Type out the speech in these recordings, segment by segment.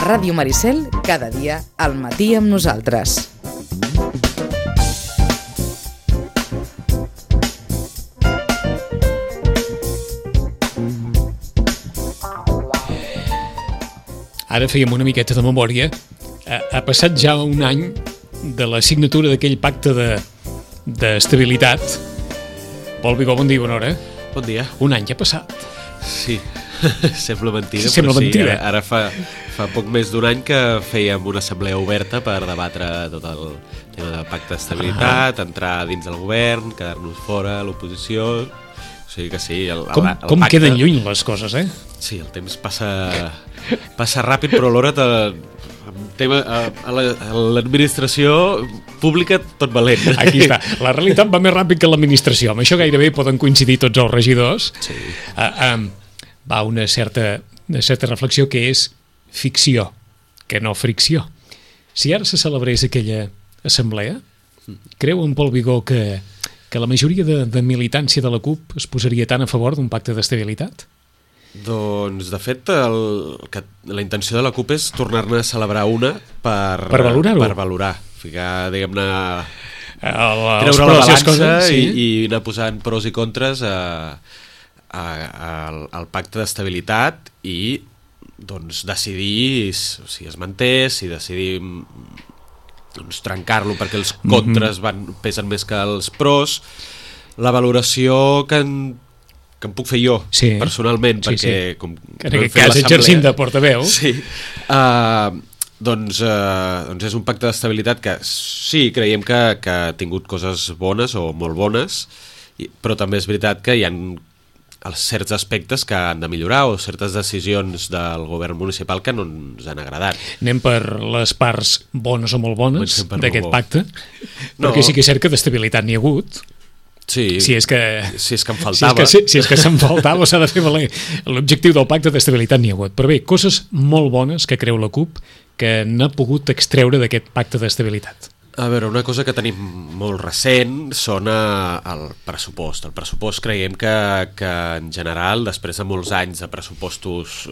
Ràdio Maricel, cada dia al matí amb nosaltres. Ara fèiem una miqueta de memòria. Ha passat ja un any de la signatura d'aquell pacte d'estabilitat. Pol Vigó, bon dia, bona hora. Bon dia. Un any ja ha passat. Sí, sembla mentida, Sembla però mentida. Sí, ara fa poc més d'un any que fèiem una assemblea oberta per debatre tot el tema del pacte d'estabilitat, entrar dins del govern, quedar-nos fora, l'oposició. O sigui que sí, el Com pacte... queden lluny les coses, eh? Sí, el temps passa ràpid, però alhora a l'administració pública tot valent. Aquí està. La realitat va més ràpid que l'administració. Amb això gairebé poden coincidir tots els regidors. Sí. Va una certa reflexió que és ficció, que no fricció. Si ara se celebrés aquella assemblea, creu en Pol Vigó que la majoria de militància de la CUP es posaria tan a favor d'un pacte d'estabilitat? Doncs, de fet, la intenció de la CUP és tornar-ne a celebrar una per valorar-ho. Per valorar. Ficar, diguem-ne, Els treure la pros i els balança contres, sí. i anar posant pros i contres al pacte d'estabilitat i doncs, decidir si es manté, si decidim doncs, trencar-lo perquè els contres pesen més que els pros. La valoració que em puc fer jo, personalment, perquè com en aquest cas exercint de portaveu, doncs és un pacte d'estabilitat que sí, creiem que ha tingut coses bones o molt bones, però també és veritat que hi ha certs aspectes que han de millorar o certes decisions del govern municipal que no ens han agradat. Anem per les parts bones o molt bones d'aquest pacte, perquè sí que és cert que d'estabilitat n'hi ha hagut. Sí, si és que em faltava. Si és que se'n faltava, s'ha de fer valer. L'objectiu del pacte d'estabilitat n'hi ha hagut. Però bé, coses molt bones que creu la CUP que n'ha pogut extreure d'aquest pacte d'estabilitat. A veure, una cosa que tenim molt recent són el pressupost. El pressupost creiem que en general, després de molts anys de pressupostos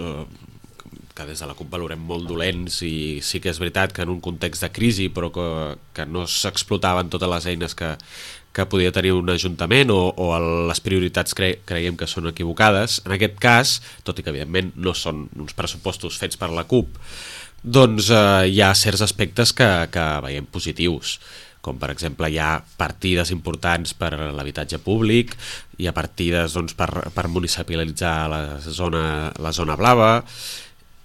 que des de la CUP valorem molt dolents, i sí que és veritat que en un context de crisi, però que no s'explotaven totes les eines que podia tenir un ajuntament o les prioritats creiem que són equivocades. En aquest cas, tot i que evidentment no són uns pressupostos fets per la CUP, doncs hi ha certs aspectes que veiem positius, com per exemple hi ha partides importants per a l'habitatge públic, hi ha partides doncs, per municipalitzar la zona blava,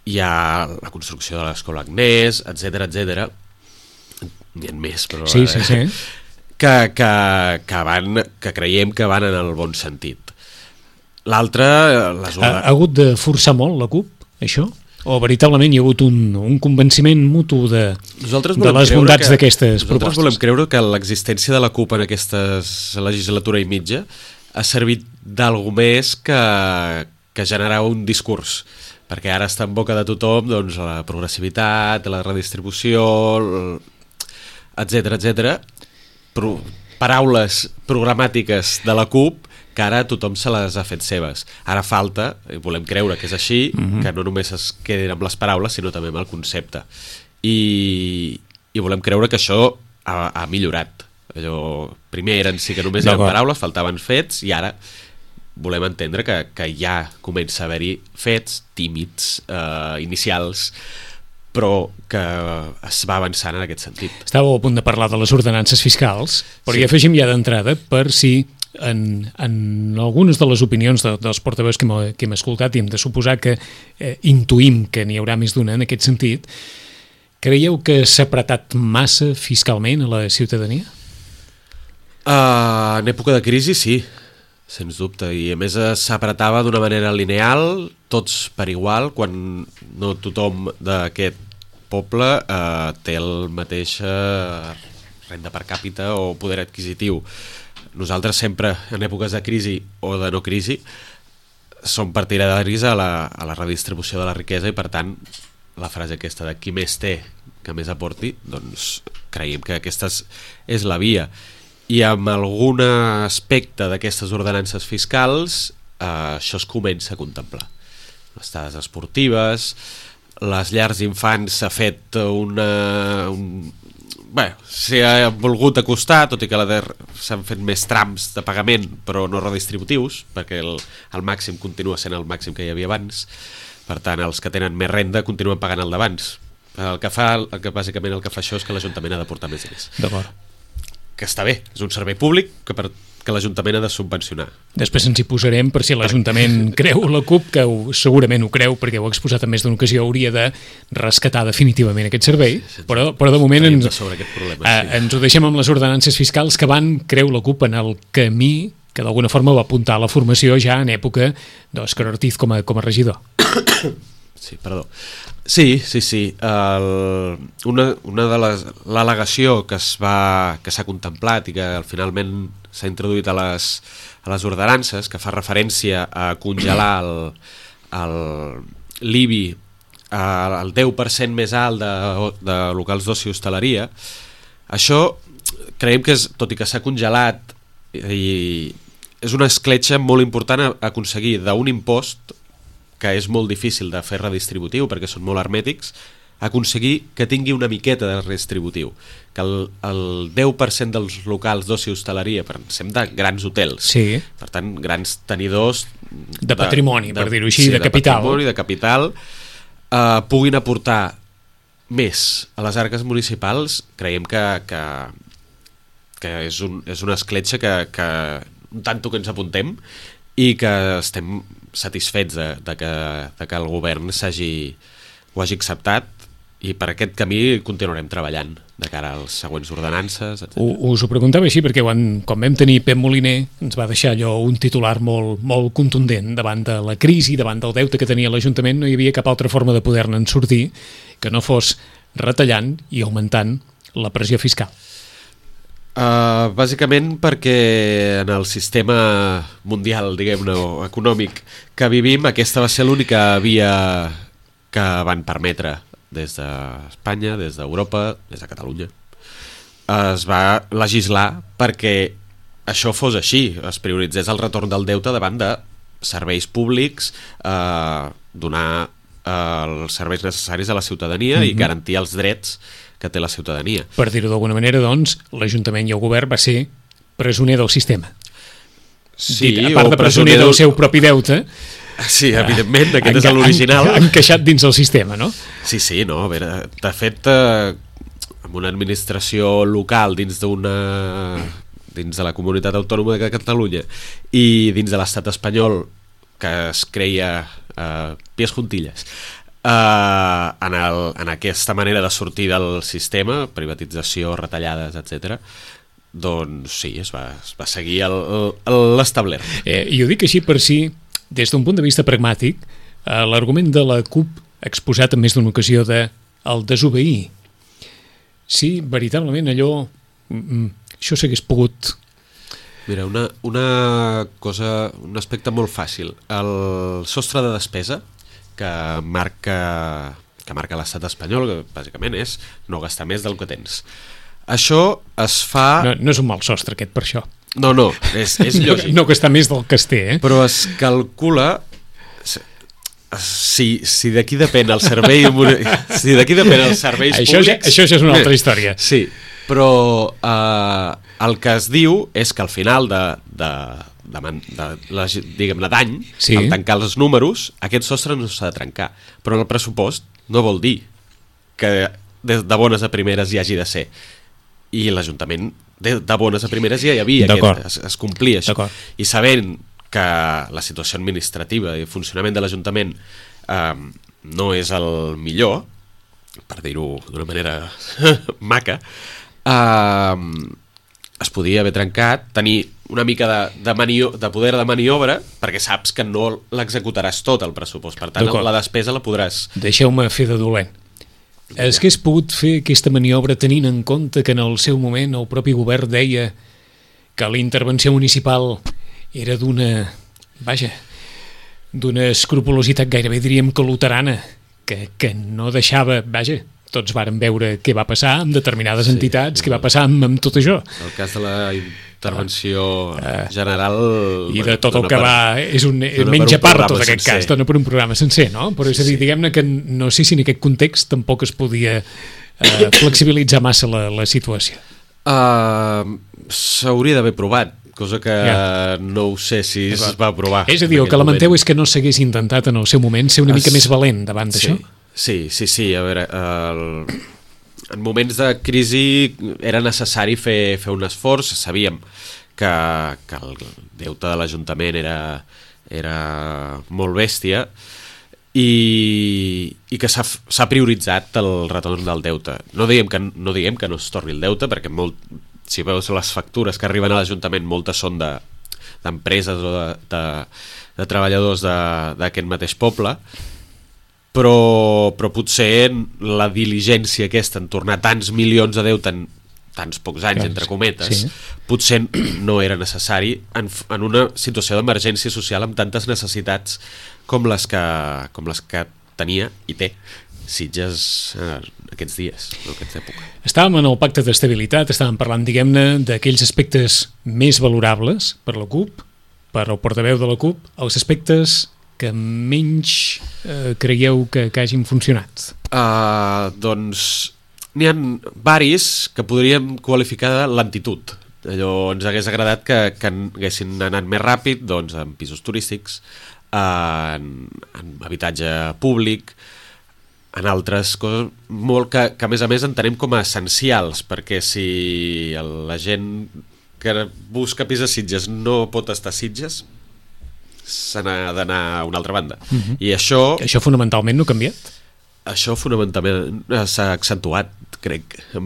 hi ha la construcció de l'escola Agnès, etc. N'hi ha més, però... Sí. Que creiem que van en el bon sentit. L'altre... Ha hagut de forçar molt la CUP, això? O veritablement hi ha hagut un convenciment mutu de les bondats d'aquestes propostes? Nosaltres volem creure que l'existència de la CUP en aquesta legislatura i mitja ha servit d'algú més que generar un discurs, perquè ara està en boca de tothom doncs, la progressivitat, la redistribució, etc. Paraules programàtiques de la CUP que ara tothom se les ha fet seves. Ara falta, volem creure que és així, que no només es quedin amb les paraules, sinó també amb el concepte. I volem creure que això ha millorat. Primer sí que només eren paraules, faltaven fets, i ara volem entendre que ja comença a haver-hi fets tímids, inicials, però que es va avançant en aquest sentit. Estàveu a punt de parlar de les ordenances fiscals, però hi afegim ja d'entrada per si en algunes de les opinions dels portaveus que hem escoltat, i hem de suposar que intuïm que n'hi haurà més d'una en aquest sentit, creieu que s'ha apretat massa fiscalment a la ciutadania? En època de crisi sí, sens dubte, i a més s'apretava d'una manera lineal, tots per igual, quan no tothom d'aquest poble té el mateix renda per càpita o poder adquisitiu. Nosaltres sempre, en èpoques de crisi o de no crisi, som partidaris a la redistribució de la riquesa, i per tant la frase aquesta de qui més té que més aporti, doncs creiem que aquesta és la via. I amb algun aspecte d'aquestes ordenances fiscals això es comença a contemplar. Les dades esportives, les llars d'infants s'ha fet s'ha volgut acostar, tot i que s'han fet més trams de pagament, però no redistributius, perquè el màxim continua sent el màxim que hi havia abans. Per tant, els que tenen més renda continuen pagant el d'abans. Bàsicament el que fa això és que l'Ajuntament ha d'aportar més diners. D'acord. Que està bé, és un servei públic que l'Ajuntament ha de subvencionar. Després ens hi posarem per si l'Ajuntament creu, la CUP, que segurament ho creu, perquè ho ha exposat en més d'una ocasió, hauria de rescatar definitivament aquest servei, però de moment ens ho deixem amb les ordenances fiscals que van, creu la CUP, en el camí que d'alguna forma va apuntar a la formació ja en època d'Òscar Ortiz com a regidor. Sí, perdó. Sí. Una de l'al·legació que s'ha contemplat i que finalment s'ha introduït a les ordenances, que fa referència a congelar l'IBI al 10% més alt de locals d'oci i hostaleria, això creiem que tot i que s'ha congelat, és una escletxa molt important a aconseguir d'un impost que és molt difícil de fer redistributiu perquè són molt hermètics, aconseguir que tingui una miqueta de redistributiu, que el 10% dels locals d'oci i hostaleria, pensem de grans hotels, sí. Per tant, grans tenidors de patrimoni, per dir-ho així, de capital. De capital, puguin aportar més a les arques municipals, creiem que és una escletxa que un tanto que ens apuntem i que estem satisfets de que el govern ho hagi acceptat, i per aquest camí continuarem treballant de cara a les següents ordenances, etc. Us ho preguntava així perquè quan vam tenir Pep Moliner ens va deixar allò un titular molt, molt contundent davant de la crisi, davant del deute que tenia l'Ajuntament. No hi havia cap altra forma de poder-ne sortir que no fos retallant i augmentant la pressió fiscal. Bàsicament perquè en el sistema mundial, diguem-ne, econòmic que vivim, aquesta va ser l'única via que van permetre des d'Espanya, des d'Europa, des de Catalunya. Es va legislar perquè això fos així, es prioritzés el retorn del deute davant de serveis públics, donar els serveis necessaris a la ciutadania i garantir els drets que té la ciutadania. Per dir-ho d'alguna manera, doncs, l'Ajuntament i el govern va ser presoner del sistema. Sí, a part de presoner del seu propi deute. Sí, evidentment, aquest és l'original. Encaixat dins el sistema, no? Sí, no, a veure, de fet, amb una administració local dins de la comunitat autònoma de Catalunya i dins de l'estat espanyol, que es creia pies juntilles, en aquesta manera de sortir del sistema, privatització, retallades, etc., doncs sí, es va seguir l'establert. I ho dic així per si, des d'un punt de vista pragmàtic, l'argument de la CUP exposat en més d'una ocasió de el desobeir, sí, veritablement allò, això s'hagués pogut... Mira, una cosa, un aspecte molt fàcil, el sostre de despesa que marca l'estat espanyol, que bàsicament és no gastar més del que tens. Això es fa... No és un mal sostre aquest per això. No, és lògic. No gastar més del que es té, Però es calcula... Si d'aquí depèn el servei... Si d'aquí depèn els serveis públics... Això ja és una altra història. Sí, però el que es diu és que al final diguem-ne d'any, sí, al tancar els números, aquest sostre no s'ha de trencar, però en el pressupost no vol dir que de bones a primeres hi hagi de ser, i l'Ajuntament de bones a primeres ja hi havia es complia això, i sabent que la situació administrativa i el funcionament de l'Ajuntament no és el millor, per dir-ho d'una manera maca, es podia haver trencat, tenir una mica de poder de maniobra, perquè saps que no l'executaràs tot el pressupost, per tant la despesa la podràs... Deixeu-me fer de dolent. Es hagués pogut fer aquesta maniobra tenint en compte que en el seu moment el propi govern deia que la intervenció municipal era d'una escrupolositat gairebé diríem que luterana, que no deixava, tots varen veure què va passar amb determinades entitats, què va passar amb tot això. El cas de la intervenció general... I de tot el que va... És un menja part, tot aquest cas, dona per un programa sencer, no? Però és a dir, diguem-ne que no sé si en aquest context tampoc es podia flexibilitzar massa la situació. S'hauria d'haver provat, cosa que no ho sé si es va provar. És a dir, el que lamenteu és que no s'hagués intentat en el seu moment ser una mica més valent davant d'això? Sí, a veure... En moments de crisi era necessari fer un esforç. Sabíem que el deute de l'Ajuntament era molt bèstia i que s'ha prioritzat el retorn del deute. No diguem que no es torni el deute, perquè si veus les factures que arriben a l'Ajuntament, moltes són d'empreses o de treballadors d'aquest mateix poble, però potser la diligència aquesta en tornar tants milions de deute en tants pocs anys, entre cometes, potser no era necessari en una situació d'emergència social amb tantes necessitats com les que tenia i té Sitges aquests dies, en aquesta època. Estàvem en el pacte d'estabilitat, estàvem parlant, diguem-ne, d'aquells aspectes més valorables per la CUP, per el portaveu de la CUP, els aspectes que menys creieu que hagin funcionat? Doncs n'hi ha varis que podríem qualificar de lentitud. Allò ens hagués agradat que haguessin anat més ràpid, doncs, en pisos turístics, en habitatge públic, en altres coses molt que a més entenem com a essencials, perquè si la gent que busca pis a Sitges no pot estar a Sitges, se n'ha d'anar a una altra banda. I això fonamentalment no ha canviat? Això fonamentalment s'ha accentuat, crec, amb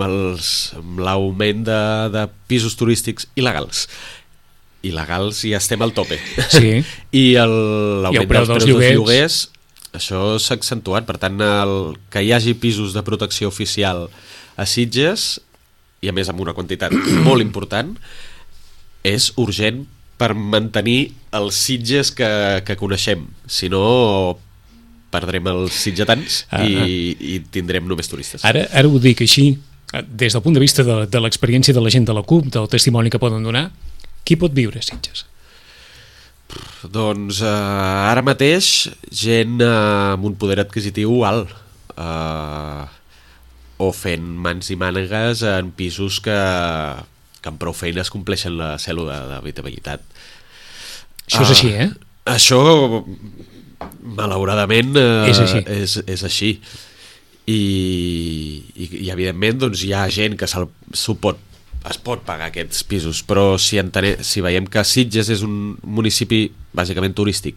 l'augment de pisos turístics il·legals. Il·legals ja estem al tope. Sí. I l'augment dels preus dels lloguers, això s'ha accentuat. Per tant, que hi hagi pisos de protecció oficial a Sitges, i a més amb una quantitat molt important, és urgent per mantenir els Sitges que coneixem. Si no, perdrem els sitgetans i tindrem només turistes. Ara ho dic així, des del punt de vista de l'experiència de la gent de la CUP, del testimoni que poden donar, qui pot viure a Sitges? Doncs ara mateix gent amb un poder adquisitiu alt, o fent mans i mànegues en pisos que amb prou feines compleixen la cèl·lula d'habitabilitat. Això és així, Això, malauradament, és així. I evidentment, doncs, hi ha gent que es pot pagar aquests pisos, però si veiem que Sitges és un municipi bàsicament turístic,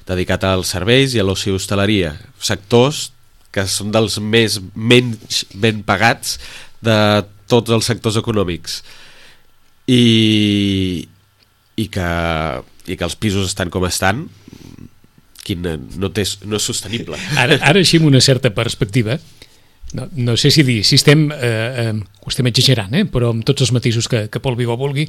dedicat als serveis i a l'oci i hostaleria, sectors que són dels menys ben pagats de tots els sectors econòmics, i que els pisos estan com estan, no és sostenible. Ara així amb una certa perspectiva, no sé si ho estem exagerant, però amb tots els matisos que Pol Vigó vulgui,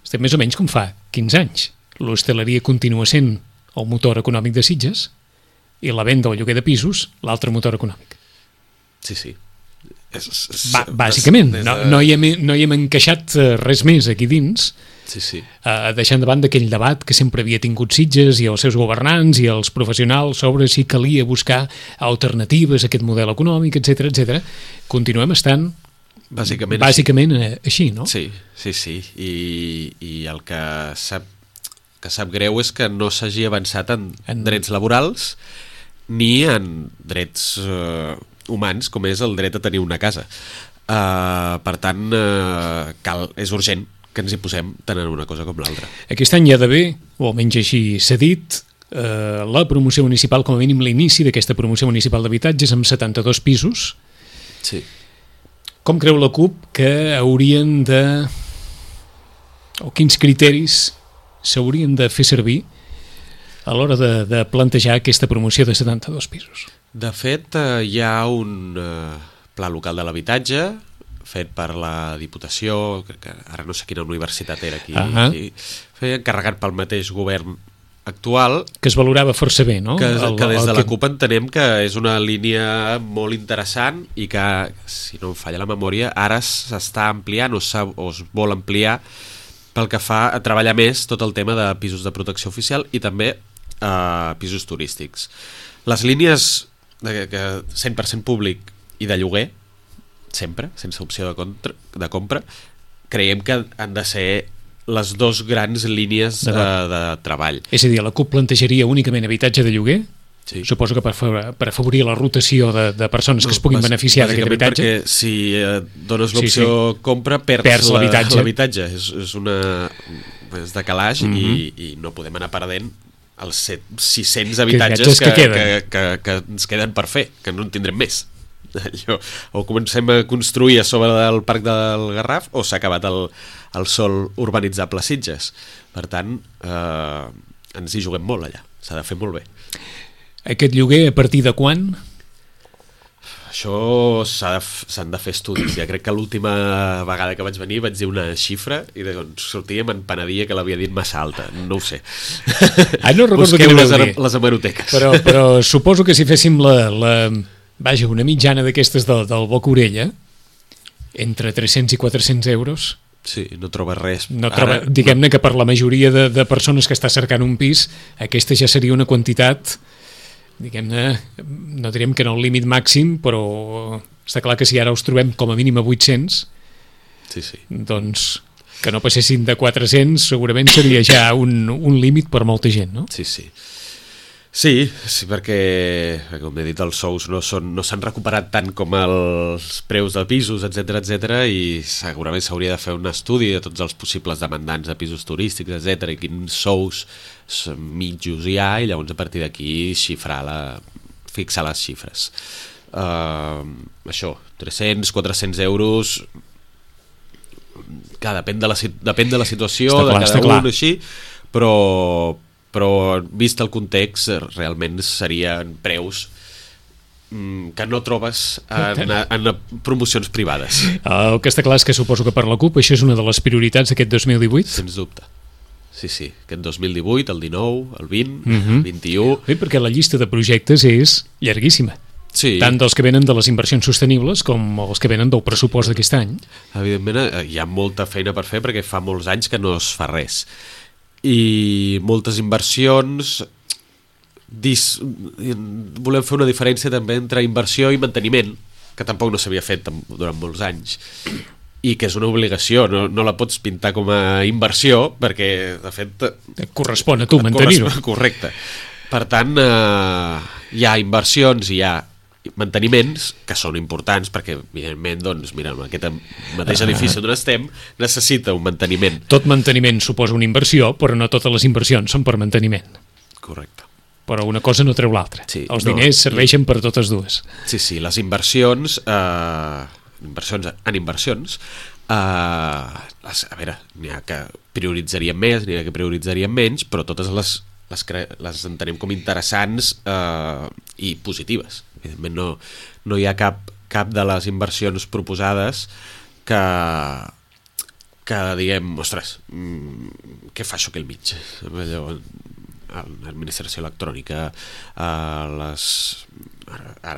estem més o menys com fa 15 anys. L'hostaleria continua sent el motor econòmic de Sitges i la venda o el lloguer de pisos l'altre motor econòmic. Sí. Bàsicament, no hi hem encaixat res més aquí dins, deixant de banda aquell debat que sempre havia tingut Sitges i els seus governants i els professionals sobre si calia buscar alternatives a aquest model econòmic, etc. Continuem estant bàsicament així, no? Sí. I el que sap greu és que no s'hagi avançat en drets laborals ni en drets humans, com és el dret a tenir una casa. Per tant, és urgent que ens hi posem tant en una cosa com l'altra. Aquest any hi ha d'haver, o almenys així s'ha dit, la promoció municipal, com a mínim l'inici d'aquesta promoció municipal d'habitatges amb 72 pisos. Sí. Com creu la CUP que haurien o quins criteris s'haurien de fer servir a l'hora de plantejar aquesta promoció de 72 pisos? De fet, hi ha un pla local de l'habitatge fet per la Diputació, que ara no sé quina universitat era aquí, encarregat pel mateix govern actual, que es valorava força bé, no? Que des de la CUP entenem que és una línia molt interessant i que, si no em falla la memòria, ara s'està ampliant o es vol ampliar pel que fa a treballar més tot el tema de pisos de protecció oficial i també pisos turístics. Les línies de 100% públic i de lloguer, sempre, sense opció de compra, creiem que han de ser les dos grans línies de treball. És a dir, la CUP plantejaria únicament habitatge de lloguer? Sí. Suposo que per afavorir la rotació de persones que es puguin beneficiar d'aquest habitatge. Perquè si dones l'opció compra, perds l'habitatge. És de calaix i no podem anar perdent els 600 habitatges que ens queden per fer, que no en tindrem més. O comencem a construir a sobre del Parc del Garraf o s'ha acabat el sòl urbanitzable Sitges. Per tant, ens hi juguem molt allà. S'ha de fer molt bé. Aquest lloguer a partir de quan? Això s'han de fer estudis. Ja crec que l'última vegada que vaig venir vaig dir una xifra i sortia me'n penedia que l'havia dit massa alta. No ho sé. No recordo busqueu les hemeroteques. Però suposo que si féssim una mitjana d'aquestes del Boca Orella, entre 300 i 400 euros... Sí, no troba res. Diguem-ne que per la majoria de persones que està cercant un pis, aquesta ja seria una quantitat... diguem-ne, no direm que no el límit màxim, però està clar que si ara us trobem com a mínim a 800, doncs que no passessin de 400 segurament seria ja un límit per molta gent, no? Sí, perquè com he dit, els sous no s'han recuperat tant com els preus de pisos, etc i segurament s'hauria de fer un estudi de tots els possibles demandants de pisos turístics, etc i quins sous mitjos hi ha i llavors a partir d'aquí fixar les xifres. Això, 300, 400 euros, que depèn de la situació de cada un, així, però vist el context realment serien preus que no trobes en promocions privades. El que està clar és que suposo que per la CUP això és una de les prioritats d'aquest 2018? Sens dubte. Sí, aquest 2018, el 19, el 20, el 21... Bé, perquè la llista de projectes és llarguíssima. Sí. Tant dels que venen de les inversions sostenibles com els que venen del pressupost d'aquest any. Evidentment hi ha molta feina per fer perquè fa molts anys que no es fa res. I moltes inversions volem fer una diferència també entre inversió i manteniment, que tampoc no s'havia fet durant molts anys i que és una obligació, no la pots pintar com a inversió perquè de fet et correspon a tu mantenir-ho. Correcte. Per tant hi ha inversions i hi ha manteniments que són importants perquè evidentment doncs mira, en aquest mateix edifici on estem necessita un manteniment. Tot manteniment suposa una inversió, però no totes les inversions són per manteniment. Correcte. Però una cosa no treu l'altra. Els diners serveixen per totes dues. Sí, les inversions en inversions a veure, n'hi ha que prioritzaríem més, n'hi ha que prioritzaríem menys, però totes les entenem com interessants i positives. Evidentment no hi ha cap de les inversions proposades que diguem, ostres, què fa això aquí al mig? L'administració electrònica, ara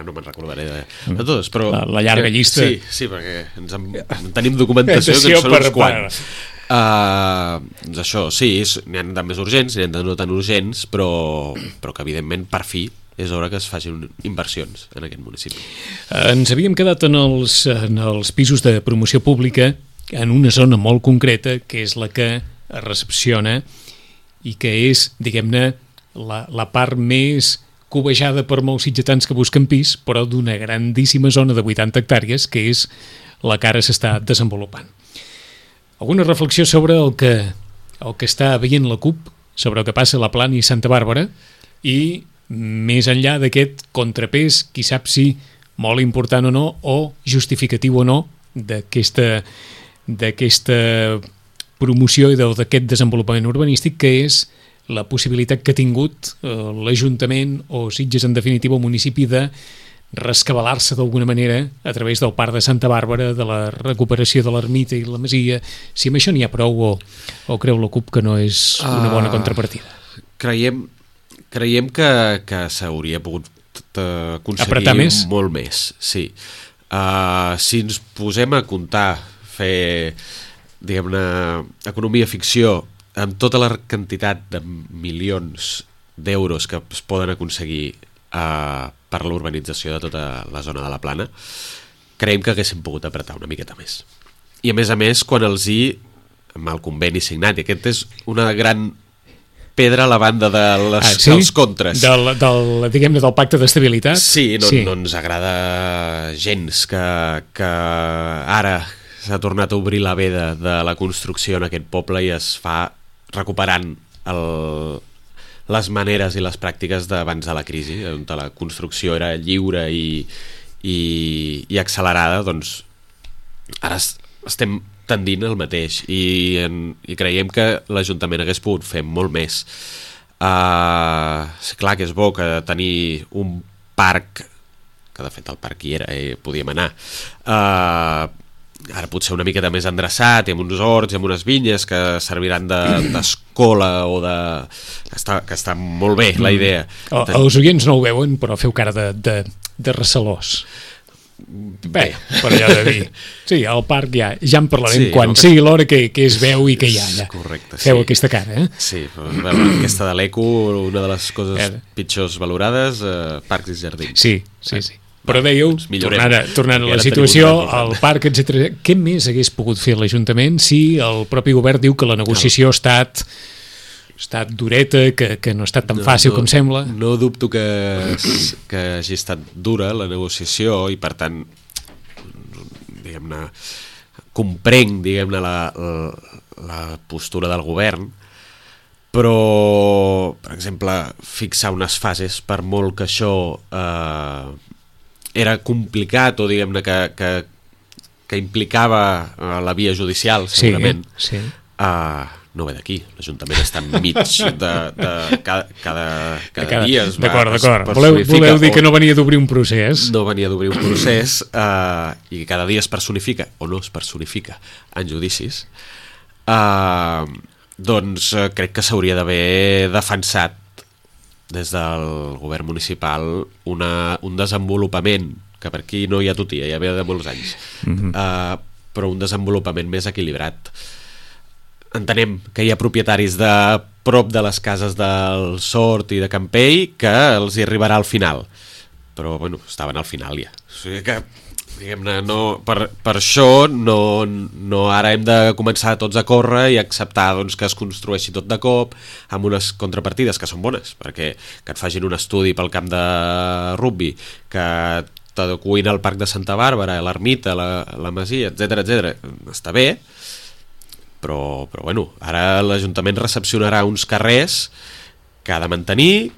no me'n recordaré de totes, però... La llarga llista. Sí, perquè en tenim documentació que en són uns quants. Doncs això, sí, n'hi ha de més urgents, n'hi ha de no tan urgents, però que evidentment per fi és hora que es facin inversions en aquest municipi. Ens havíem quedat en els pisos de promoció pública en una zona molt concreta, que és la que es recepciona i que és, diguem-ne, la part més cobejada per molts sitgetans que busquen pis, però d'una grandíssima zona de 80 hectàrees, que és la que ara s'està desenvolupant. Alguna reflexió sobre el que està veient la CUP, sobre el que passa a la Plana i Santa Bàrbara, i més enllà d'aquest contrapès, qui sap si molt important o no, o justificatiu o no, d'aquesta promoció i d'aquest desenvolupament urbanístic, que és la possibilitat que ha tingut l'Ajuntament o Sitges, en definitiva, el municipi, de rescabalar-se d'alguna manera a través del Parc de Santa Bàrbara, de la recuperació de l'ermita i la masia. Si amb això n'hi ha prou o creu la CUP que no és una bona contrapartida? Creiem que s'hauria pogut aconseguir molt més, sí. Si ens posem a comptar, fer diguem-ne, economia ficció, amb tota la quantitat de milions d'euros que es poden aconseguir per l'urbanització de tota la zona de la Plana, creiem que haguéssim pogut apretar una miqueta més. I a més, quan amb el conveni signat, i aquest és una gran pedra a la banda dels contres. Diguem-ne, del pacte d'estabilitat? Sí, no ens agrada gens que ara s'ha tornat a obrir la veda de la construcció en aquest poble i es fa recuperant les maneres i les pràctiques d'abans de la crisi, on la construcció era lliure i accelerada. Doncs ara estem tendint al mateix i creiem que l'Ajuntament hagués pogut fer molt més. Clar que és bo que tenir un parc, que de fet el parc hi era, podíem anar, ara potser una miqueta més endreçat, i amb uns horts i amb unes vinyes que serviran d'escola o de... que està molt bé la idea. Els oients no ho veuen, però feu cara de recelós. Bé, per allò de dir. Sí, al parc ja en parlarem quan sigui l'hora que es veu i que hi ha allà. Correcte, feu aquesta cara, eh? Sí, però aquesta de l'eco, una de les coses pitjors valorades, parcs i jardins. Sí. Però dèieu, tornant a la situació, al parc, etc. Què més hagués pogut fer l'Ajuntament si el propi govern diu que la negociació ha estat dureta, que no ha estat tan fàcil com sembla? No dubto que hagi estat dura la negociació i, per tant, diguem-ne, comprenc, diguem-ne, la postura del govern, però, per exemple, fixar unes fases, per molt que això era complicat o, diguem-ne, que implicava la via judicial, segurament, no ve d'aquí, l'Ajuntament està enmig de cada dia es d'acord. Voleu dir que no venia d'obrir un procés? No venia d'obrir un procés i cada dia es personifica o no es personifica en judicis. Doncs crec que s'hauria d'haver defensat des del govern municipal un desenvolupament que per aquí no hi ha tutia, ja ve de molts anys, però un desenvolupament més equilibrat. Entenem que hi ha propietaris de prop de les cases del Sort i de Campell que els hi arribarà al final, però bueno, estaven al final ja, o sigui que, diguem-ne, per això no ara hem de començar tots a córrer i acceptar, doncs, que es construeixi tot de cop amb unes contrapartides que són bones, perquè que et facin un estudi pel camp de rugbi, que t'adecuïn al parc de Santa Bàrbara, l'ermita, la masia, etc, està bé, però bueno, ara l'Ajuntament recepcionarà uns carrers que ha de mantenir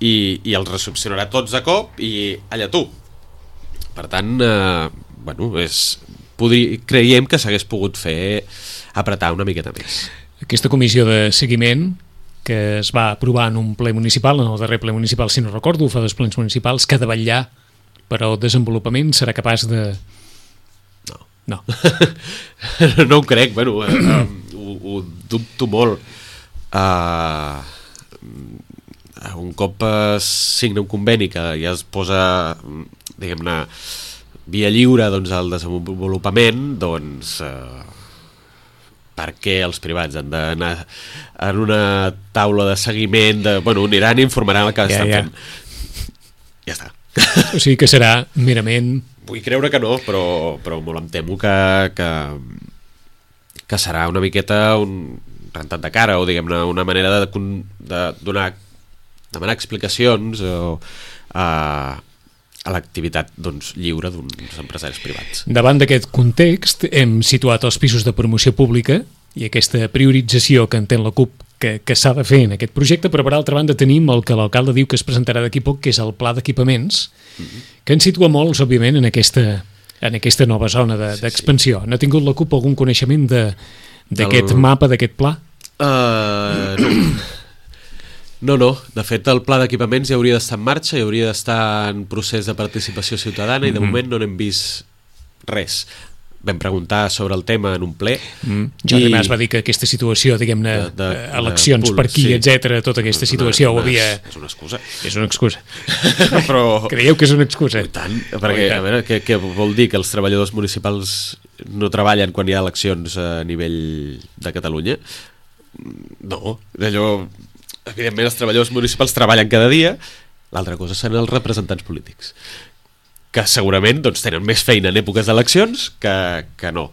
i els recepcionarà tots de cop i allà tu. Per tant, bueno, creiem que s'hagués pogut fer apretar una miqueta més. Aquesta comissió de seguiment que es va aprovar en un ple municipal, en el darrer ple municipal, si no recordo, fa 2 plens municipals, que ha de vetllar per al desenvolupament, serà capaç de... No. No ho crec, bueno, ho dubto molt. Un cop es signa un conveni que ja es posa, diguem-ne, via lliure, doncs, al desenvolupament, doncs per què els privats han d'anar en una taula de seguiment bueno, aniran i informaran el que estan fent. Ja està. O sigui que serà merament... Vull creure que no, però molt em temo que serà una miqueta un rentat de cara o, diguem-ne, una manera de demanar explicacions a l'activitat, doncs, lliure d'uns empresaris privats. Davant d'aquest context hem situat els pisos de promoció pública i aquesta priorització que entén la CUP que s'ha de fer en aquest projecte, però per altra banda tenim el que l'alcalde diu que es presentarà d'aquí poc, que és el pla d'equipaments, que ens situa molts, òbviament, en aquesta nova zona d'expansió. N'ha tingut la CUP algun coneixement d'aquest mapa, d'aquest pla? No. De fet, el pla d'equipaments ja hauria d'estar en marxa, ja hauria d'estar en procés de participació ciutadana i de moment no n'hem vist res. vam preguntar sobre el tema en un ple. Jordi Mas va dir que aquesta situació, diguem-ne, eleccions per aquí, etc., tota aquesta situació ho havia... És una excusa. És una excusa. Però... Creieu que és una excusa? I tant, perquè, a veure, què vol dir? Que els treballadors municipals no treballen quan hi ha eleccions a nivell de Catalunya? No, allò... Evidentment, els treballadors municipals treballen cada dia, l'altra cosa són els representants polítics, que segurament doncs, tenen més feina en èpoques d'eleccions que no.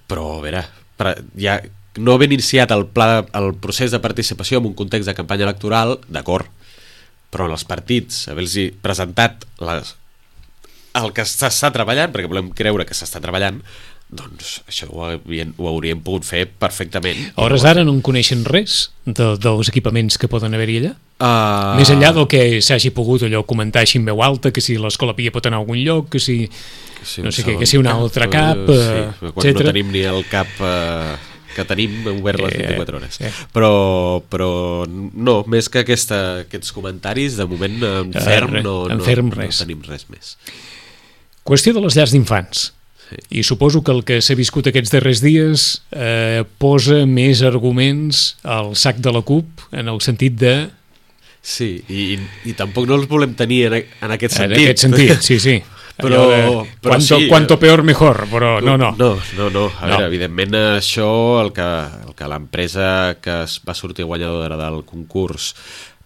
Però, a veure, ja no havent iniciat el procés de participació en un context de campanya electoral, d'acord, però en els partits, haver-los presentat el que s'està treballant, perquè volem creure que s'està treballant, doncs això ho hauríem pogut fer perfectament. A hores d'ara no en coneixen res dels equipaments que poden haver-hi allà? Més enllà del que s'hagi pogut allò comentar així en veu alta, que si l'Escola Pia pot anar a algun lloc, que si no sé què, que si un altre cap, quan no tenim ni el cap que tenim obert les 24 hores. Però no, més que aquests comentaris, de moment en ferm no tenim res més. Qüestió de les llars d'infants. I suposo que el que s'ha viscut aquests darrers dies posa més arguments al sac de la CUP en el sentit de... Sí, i tampoc no els volem tenir en aquest sentit. En aquest sentit, sí. Però cuanto peor mejor, però no. No. A veure, evidentment això, el que l'empresa que es va sortir guanyadora del concurs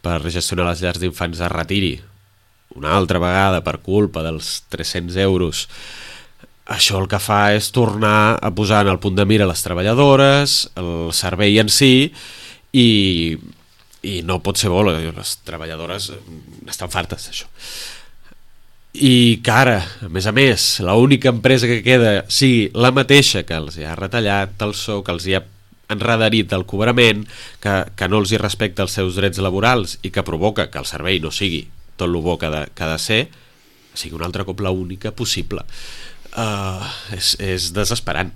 per gestionar les llars d'infants es retiri una altra vegada per culpa dels 300 euros, això el que fa és tornar a posar en el punt de mira les treballadores, el servei en si, i no pot ser bo, les treballadores estan fartes d'això. I que ara, a més, l'única empresa que queda sigui la mateixa que els ha retallat el sou, que els ha enredarit el cobrament, que no els hi respecta els seus drets laborals i que provoca que el servei no sigui tot el bo que ha de ser, sigui un altre cop l'única possible. És desesperant.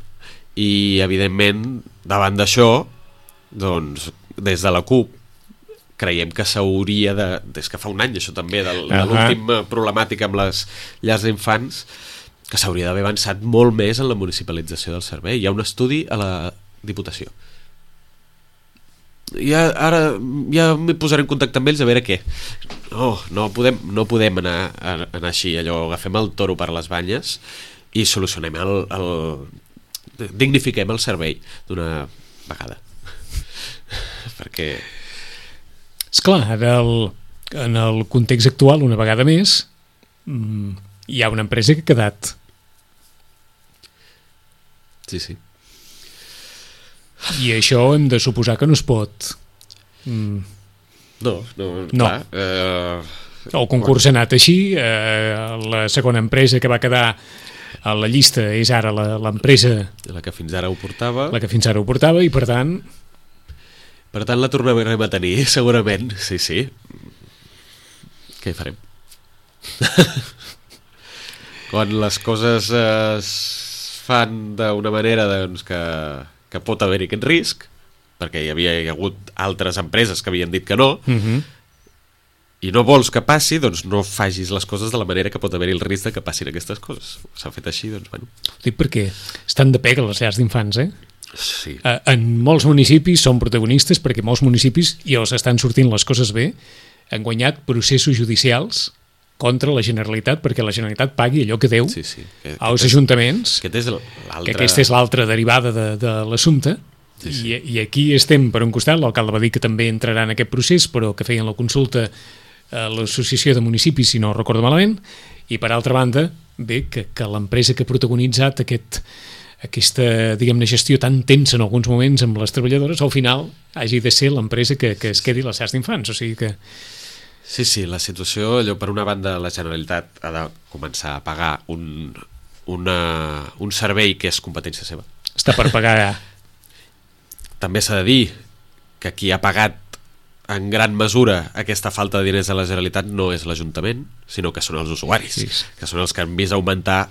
I evidentment davant d'això, doncs des de la CUP creiem que s'hauria des que fa un any, això també de l'última problemàtica amb les llars d'infants, que s'hauria d'haver avançat molt més en la municipalització del servei. Hi ha un estudi a la Diputació. Ara ja m'hi posaré en contacte amb ells a veure què. No podem anar així, allò, agafem el toro per les banyes i solucionem dignifiquem el servei d'una vegada. Perquè... Esclar, en el context actual, una vegada més, hi ha una empresa que ha quedat. Sí. I això hem de suposar que no es pot... No. Clar, el concurs ha anat així, la segona empresa que va quedar a la llista és ara l'empresa... La que fins ara ho portava. I per tant... Per tant, la tornarem a tenir, segurament. Sí. Què hi farem? Quan les coses es fan d'una manera doncs, que pot haver-hi aquest risc, perquè hi havia hagut altres empreses que havien dit que no, i no vols que passi, doncs no facis les coses de la manera que pot haver-hi el risc de que passin aquestes coses. S'ha fet així, doncs bueno. Dic perquè estan de pega les llars d'infants, Sí. En molts municipis són protagonistes perquè molts municipis, i els estan sortint les coses bé, han guanyat processos judicials contra la Generalitat perquè la Generalitat pagui allò que deu als ajuntaments, que aquesta és l'altra derivada de l'assumpte. I aquí estem per un costat, l'alcalde va dir que també entrarà en aquest procés, però que feien la consulta a l'Associació de Municipis, si no recordo malament, i per altra banda, bé, que l'empresa que ha protagonitzat aquesta, diguem-ne, gestió tan tensa en alguns moments amb les treballadores, al final hagi de ser l'empresa que es quedi les llars d'infants, o sigui que... Sí, la situació, allò, per una banda la Generalitat ha de començar a pagar un servei que és competència seva. Està per pagar... També s'ha de dir que qui ha pagat en gran mesura aquesta falta de diners de la Generalitat no és l'Ajuntament, sinó que són els usuaris, que són els que han vist augmentar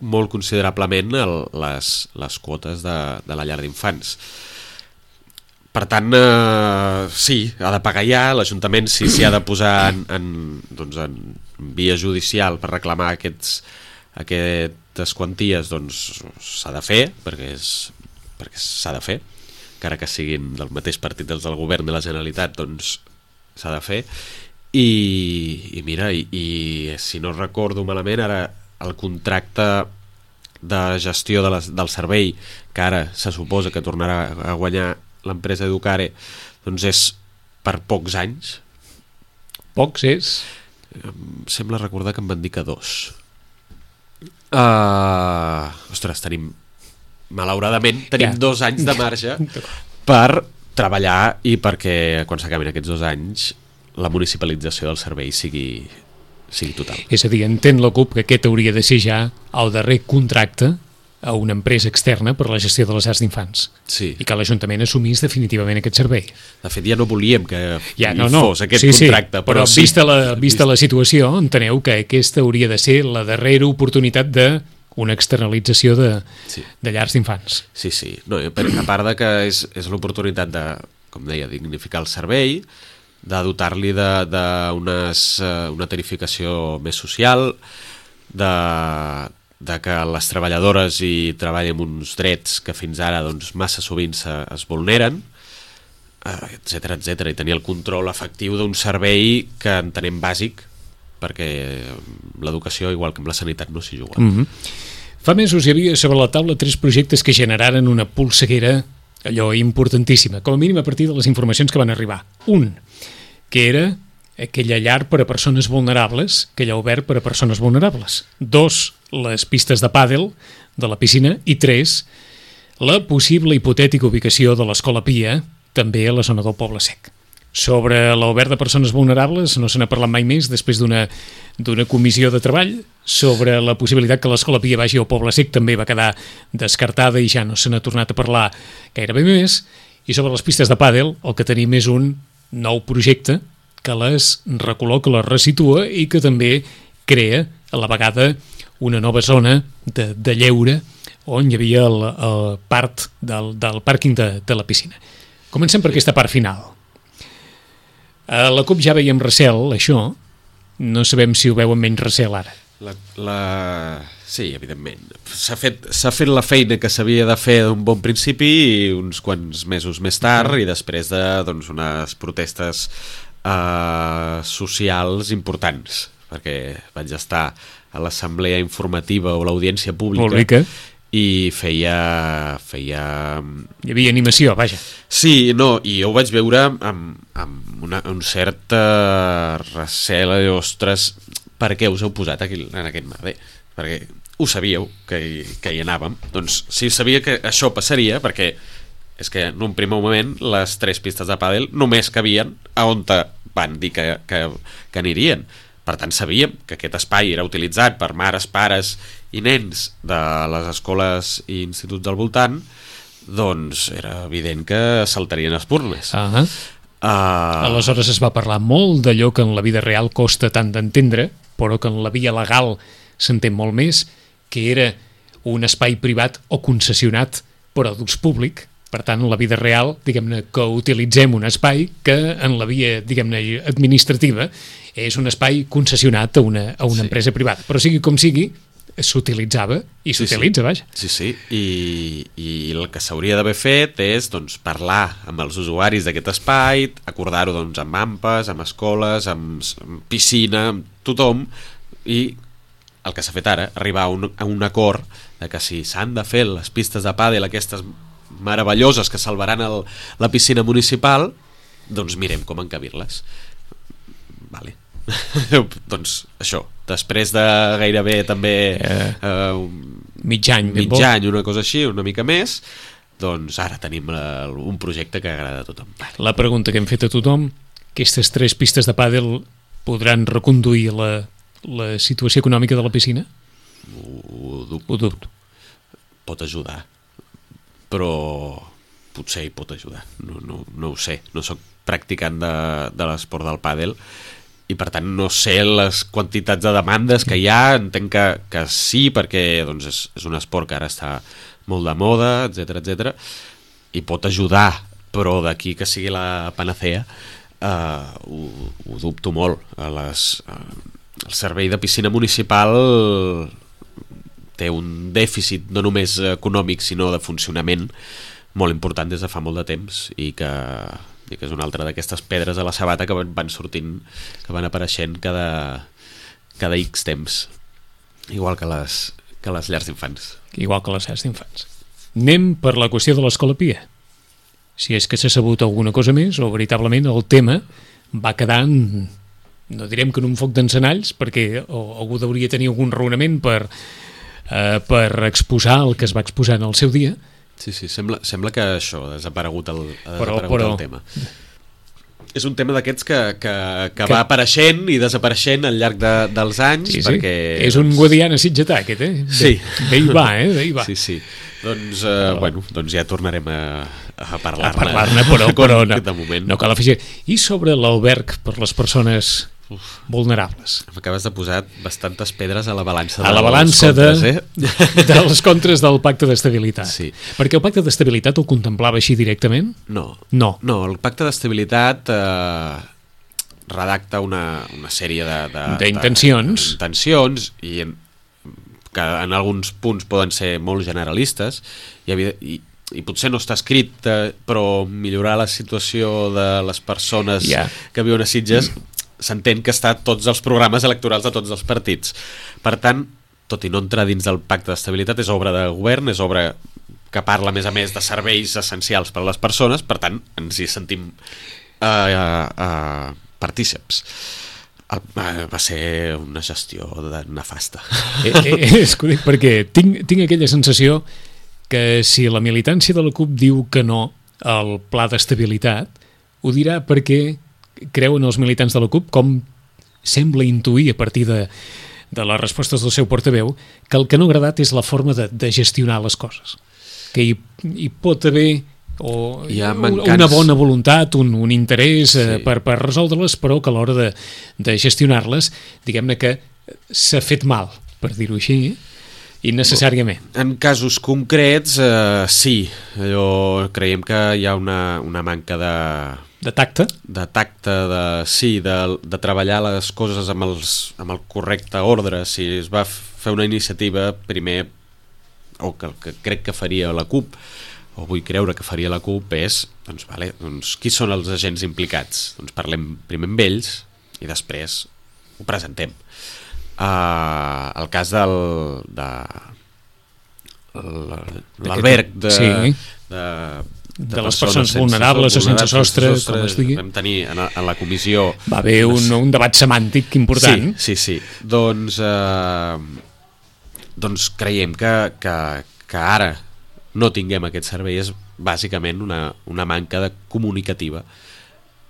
molt considerablement les quotes de la llar d'infants. Per tant, sí, ha de pagar ja, l'Ajuntament sí s'hi ha de posar en via judicial per reclamar aquest aquestes quanties doncs s'ha de fer, perquè s'ha de fer, encara que siguin del mateix partit dels del govern de la Generalitat, doncs s'ha de fer. I mira, i si no recordo malament, ara el contracte de gestió del servei, que ara se suposa que tornarà a guanyar l'empresa Educare, doncs és per pocs anys. Pocs és? Sembla recordar que em van dir que 2. Ostres, malauradament tenim 2 anys de marge per treballar i perquè quan s'acabin aquests 2 anys la municipalització del servei sigui total. És a dir, entén la CUP que aquest hauria de ser ja el darrer contracte a una empresa externa per la gestió de les llars d'infants. Sí. I que l'Ajuntament assumís definitivament aquest servei. De fet, ja no volíem que fos aquest contracte. Però vista la situació, enteneu que aquesta hauria de ser la darrera oportunitat d'una externalització de llars d'infants. Sí. No, a part de que és l'oportunitat de, com deia, dignificar el servei, de dotar-li d'una tarificació més social, de que les treballadores hi treballen amb uns drets que fins ara doncs, massa sovint es vulneren, etc etc, i tenir el control efectiu d'un servei que entenem bàsic, perquè l'educació, igual que amb la sanitat, no s'hi juga. Fa mesos hi havia sobre la taula 3 projectes que generaren una polseguera allò importantíssima, com a mínim a partir de les informacions que van arribar. Un, que era aquella llar per a persones vulnerables, aquella obert per a persones vulnerables. 2, les pistes de pàdel de la piscina. I 3, la possible hipotètica ubicació de l'Escola Pia, també a la zona del Poble Sec. Sobre l'obert de persones vulnerables no se n'ha parlat mai més després d'una comissió de treball. Sobre la possibilitat que l'Escola Pia vagi al Poble Sec també va quedar descartada i ja no se n'ha tornat a parlar gairebé més. I sobre les pistes de pàdel el que tenim és un nou projecte que les recol·loca, les resitua i que també crea a la vegada una nova zona de lleure on hi havia el part del pàrquing de la piscina. Comencem per aquesta part final. A la CUP ja veiem recel, això. No sabem si ho veuen menys recel ara. Sí, evidentment. S'ha fet la feina que s'havia de fer d'un bon principi i uns quants mesos més tard i després de unes protestes socials importants, perquè vaig estar a l'assemblea informativa o l'audiència pública i feia... Hi havia animació, vaja. Sí, no, i jo ho vaig veure amb un cert recel, ostres, per què us heu posat aquí en aquest merder? Perquè ho sabíeu que hi anàvem. Doncs sí, sabia que això passaria, perquè és que en un primer moment les 3 pistes de pàdel només cabien a on van dir que anirien. Per tant, sabíem que aquest espai era utilitzat per mares, pares i nens de les escoles i instituts del voltant, doncs era evident que saltarien espurnes. Aleshores es va parlar molt d'allò que en la vida real costa tant d'entendre, però que en la via legal s'entén molt més, que era un espai privat o concessionat per a d'ús públic. Per tant, en la vida real, diguem-ne, que utilitzem un espai que en la via, diguem-ne, administrativa és un espai concessionat a una empresa privada. Però sigui com sigui, s'utilitzava i s'utilitza, vaja. Sí, i el que s'hauria d'haver fet és parlar amb els usuaris d'aquest espai, acordar-ho amb AMPAs, amb escoles, amb piscina, amb tothom, i el que s'ha fet ara, arribar a un acord de que si s'han de fer les pistes de pàdel, aquestes meravelloses que salvaran la piscina municipal, doncs mirem com encabir-les. Vale. Doncs això, després de gairebé també mig any, una cosa així, una mica més, doncs ara tenim un projecte que agrada a tothom. La pregunta que hem fet a tothom, aquestes 3 pistes de pàdel podran reconduir la situació econòmica de la piscina? Ho dubto. Pot ajudar, però potser hi pot ajudar, no ho sé, no sóc practicant de l'esport del pàdel i per tant no sé les quantitats de demandes que hi ha. Entenc que sí, perquè és un esport que ara està molt de moda, etc, i pot ajudar, però d'aquí que sigui la panacea ho dubto molt. El servei de piscina municipal té un dèficit no només econòmic sinó de funcionament molt important des de fa molt de temps i que és una altra d'aquestes pedres a la sabata que van sortint, que van apareixent cada X temps, igual que les llars d'infants. Igual que les llars d'infants. Anem per la qüestió de l'Escola Pia. Si és que s'ha sabut alguna cosa més o veritablement el tema va quedar, no direm que en un foc d'encenalls, perquè algú hauria tenir algun raonament per exposar el que es va exposar en el seu dia. Sí, sembla que això ha desaparegut el tema. És un tema d'aquests que va apareixent i desapareixent al llarg dels anys. Sí. Perquè és un Guadiana sitgetà, aquest, eh? Sí. Bé hi va, eh? Bé hi va. Sí. Doncs ja tornarem a parlar-ne, però no, de moment. No cal afegir. I sobre l'alberg per les persones vulnerables? M'acabes de posar bastantes pedres a la balança de les contres del pacte d'estabilitat. Sí. Perquè el pacte d'estabilitat ho contemplava així directament? No, el pacte d'estabilitat redacta una sèrie d'intencions i que en alguns punts poden ser molt generalistes i potser no està escrit, però millorar la situació de les persones que viuen a Sitges s'entén que està a tots els programes electorals de tots els partits. Per tant, tot i no entrar dins del pacte d'estabilitat, és obra de govern, és obra que parla a més de serveis essencials per a les persones, per tant ens hi sentim partíceps. Va ser una gestió nefasta. És curiós, perquè tinc aquella sensació que si la militància de la CUP diu que no al pla d'estabilitat, ho dirà perquè creuen els militants de la CUP, com sembla intuir a partir de les respostes del seu portaveu, que el que no ha agradat és la forma de gestionar les coses. Que hi pot haver una bona voluntat, un interès per resoldre-les, però que a l'hora de gestionar-les, diguem-ne que s'ha fet mal, per dir-ho així, innecessàriament. En casos concrets, sí. Creiem que hi ha una manca de tacte? De tacte, de treballar les coses amb el correcte ordre. Si es va fer una iniciativa primer, o que crec que faria la CUP, o vull creure que faria la CUP, és qui són els agents implicats? Doncs parlem primer amb ells i després ho presentem. El cas de l'alberg de les persones vulnerables o sense sostre, com es digui. Vam tenir en la comissió... Va haver un debat semàntic important. Sí. Doncs creiem que ara no tinguem aquest servei és bàsicament una manca de comunicativa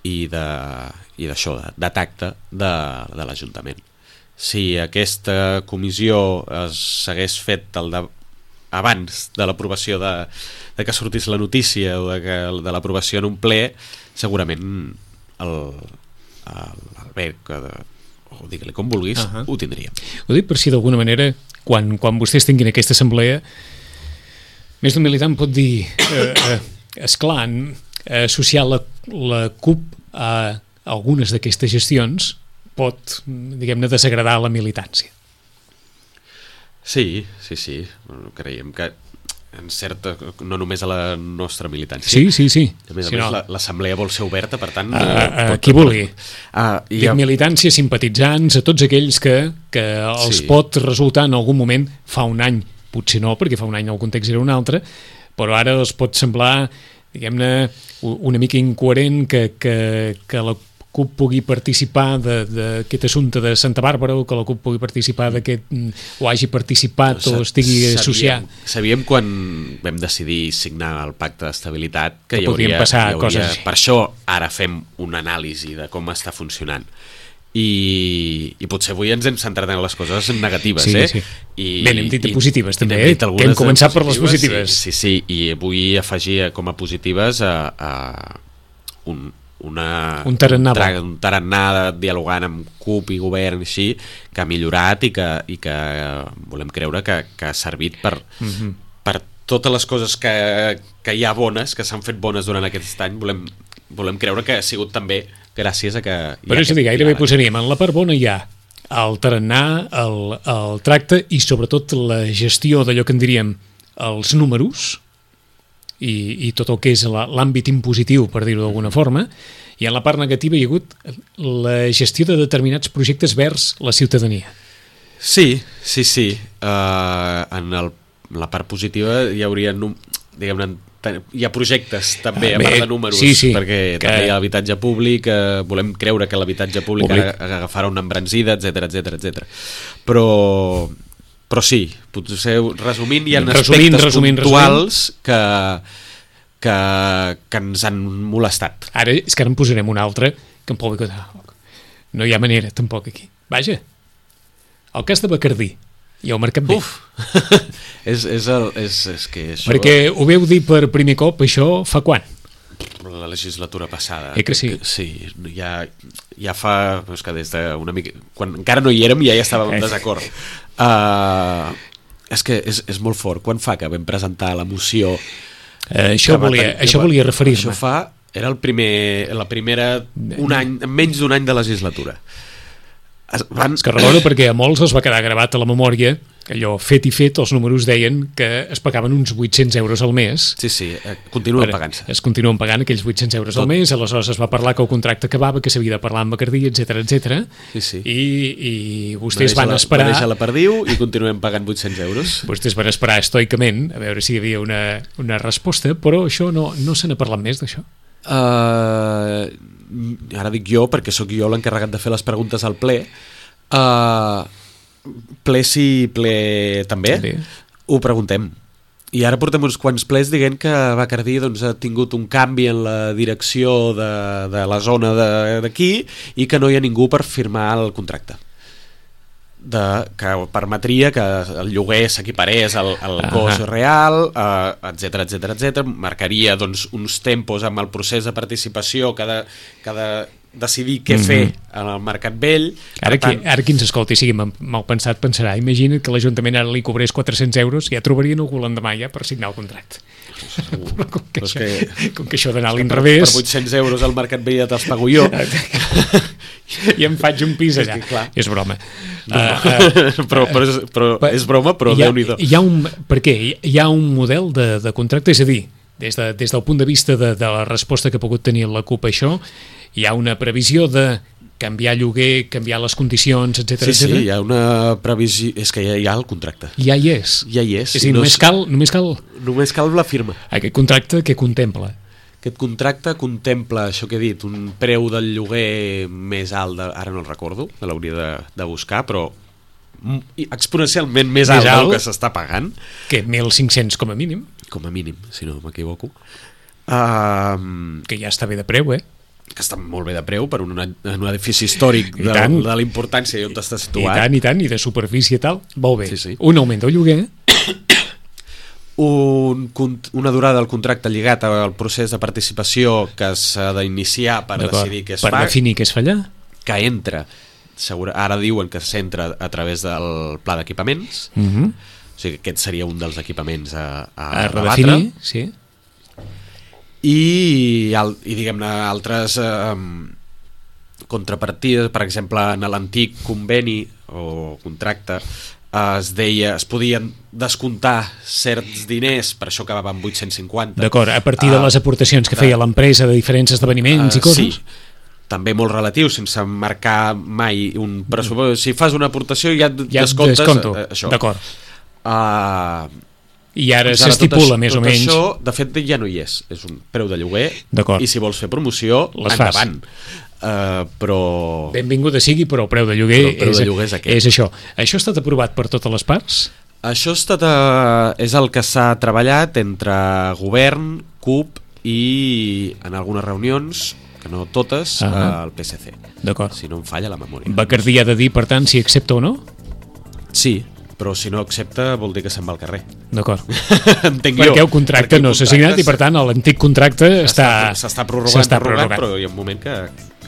i d'això, de tacte de l'Ajuntament. Si aquesta comissió s'hagués fet abans de l'aprovació de que sortís la notícia o de l'aprovació en un ple, segurament l'alberg, o digue-li com vulguis, ho tindríem. Ho dic per si d'alguna manera, quan vostès tinguin aquesta assemblea, més d'un militant pot dir, esclar, associar la CUP a algunes d'aquestes gestions pot, diguem-ne, desagradar la militància. Sí. Creiem que en certa, no només a la nostra militància. Sí. A més, l'assemblea vol ser oberta, per tant... qui vulgui. Dic militància, simpatitzants, a tots aquells que els pot resultar en algun moment, fa un any, potser no, perquè fa un any el context era un altre, però ara els pot semblar, diguem-ne, una mica incoherent que la CUP pugui participar d'aquest assumpte de Santa Bàrbara, o que la CUP pugui participar d'aquest, o hagi participat o estigui associat. Sabíem quan vam decidir signar el pacte d'estabilitat que hi podien passar coses així. Per això ara fem una anàlisi de com està funcionant. I potser avui ens hem centrat en les coses negatives. Sí. Bé, n'hem dit positives també, que hem començat per les positives. Sí, i vull afegir com a positives un tarannà dialogant amb CUP i govern així, que ha millorat i que volem creure que ha servit per totes les coses que hi ha bones, que s'han fet bones durant aquest any. Volem creure que ha sigut també gràcies a que... Però és a dir, gairebé posaríem en la part bona hi ha el tarannà, el tracte i sobretot la gestió d'allò que en diríem els números i tot el que és l'àmbit impositiu, per dir-ho d'alguna forma, i en la part negativa hi ha hagut la gestió de determinats projectes vers la ciutadania. Sí. En la part positiva hi hauria, diguem-ne, hi ha projectes també, a part de números, perquè també hi ha habitatge públic, volem creure que l'habitatge públic agafarà una embranzida, etc. Però sí, potser resumint, hi ha aspectes puntuals que ens han molestat. Ara és que ara en posarem un altre que em pot dir, no hi ha manera tampoc aquí. Vaja, el cas de Bacardí i el Mercat Vell. és que això... Perquè ho veu dir per primer cop, això fa quan? La legislatura passada. Que sí? Sí, ja fa... És que des d'una mica... Quan encara no hi érem ja estàvem en desacord. És que és molt fort. Quan fa que vam presentar la moció... Això volia referir-me. Això era la primera... menys d'un any de legislatura. És que recordo perquè a molts els va quedar gravat a la memòria, allò fet i fet, els números deien que es pagaven uns 800 euros al mes. Sí, continuen pagant-se. Es continuen pagant aquells 800 euros al mes, aleshores es va parlar que el contracte acabava, que s'havia de parlar amb Bacardí, etc. Sí. I vostès van esperar... Va deixar la perdiu i continuem pagant 800 euros. Vostès van esperar estoicament a veure si hi havia una resposta, però això no se n'ha parlat més d'això. Ara dic jo perquè sóc jo l'encarregat de fer les preguntes al ple. Ple sí, ple també. Ho preguntem. I ara portem uns quants plens dient que Bacardí ha tingut un canvi en la direcció de la zona d'aquí i que no hi ha ningú per firmar el contracte, que permetria que el lloguer s'equiparés al cost real, etc. Marcaria uns tempos amb el procés de participació que de decidir què fer en el Mercat Vell. Ara qui ens escolti sigui mal pensat pensarà, imagina't que l'Ajuntament ara li cobrés 400 euros, ja trobarien algú l'endemà ja per signar el contracte. Però com que això d'anar a l'inrevés... Per 800 euros al Mercat Vell ja te'ls pago jo. I em faig un pis allà. És broma. Però és broma, però Déu-n'hi-do. Per què? Hi ha un model de contracte, és a dir, des del punt de vista de la resposta que ha pogut tenir la CUP a això, hi ha una previsió de canviar lloguer, canviar les condicions, etc. Sí, hi ha una previsió... És que ja hi ha el contracte. Ja hi és. És a dir, només cal la firma. Aquest contracte què contempla? Aquest contracte contempla, això que he dit, un preu del lloguer més alt, ara no el recordo, l'hauria de buscar, però exponencialment més alt del que s'està pagant. Que 1.500 com a mínim. Com a mínim, si no m'equivoco. Que ja està bé de preu, que està molt bé de preu per un edifici històric de la importància i on està situat. I tant, i de superfície i tal. Molt bé. Sí. Un augment del lloguer. Una durada del contracte lligat al procés de participació que s'ha d'iniciar per decidir què es fa. Per definir què es fa allà. Que entra, ara diuen que s'entra a través del pla d'equipaments. O sigui, aquest seria un dels equipaments a redefinir, sí. I diguem-ne altres contrapartides, per exemple en l'antic conveni o contracte es podien descomptar certs diners, per això acabava amb 850. D'acord, a partir de les aportacions que feia l'empresa de diferents esdeveniments i coses? Sí, també molt relatiu, sense marcar mai un pressupost. Si fas una aportació ja descomptes això. D'acord. I ara s'estipula més o menys... Tot això, de fet, ja no hi és. És un preu de lloguer i si vols fer promoció, endavant. Però... Benvinguda sigui, però el preu de lloguer, és aquest. És això. Això ha estat aprovat per totes les parts? Això és el que s'ha treballat entre govern, CUP i en algunes reunions, que no totes, el PSC. D'acord. Si no em falla la memòria. Bacardí ha de dir, per tant, si accepta o no? Sí, però si no accepta vol dir que se'n va al carrer. D'acord. Entenc perquè el contracte no s'ha signat i per tant l'antic contracte s'està prorrogant, però hi ha un moment que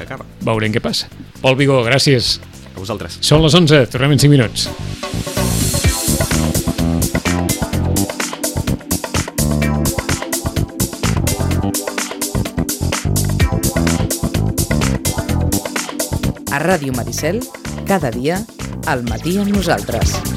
acaba. Veurem què passa. Pol Vigó, gràcies. A vosaltres. Són les 11, tornem en 5 minuts. A Ràdio Maricel, Cada dia, al matí amb nosaltres.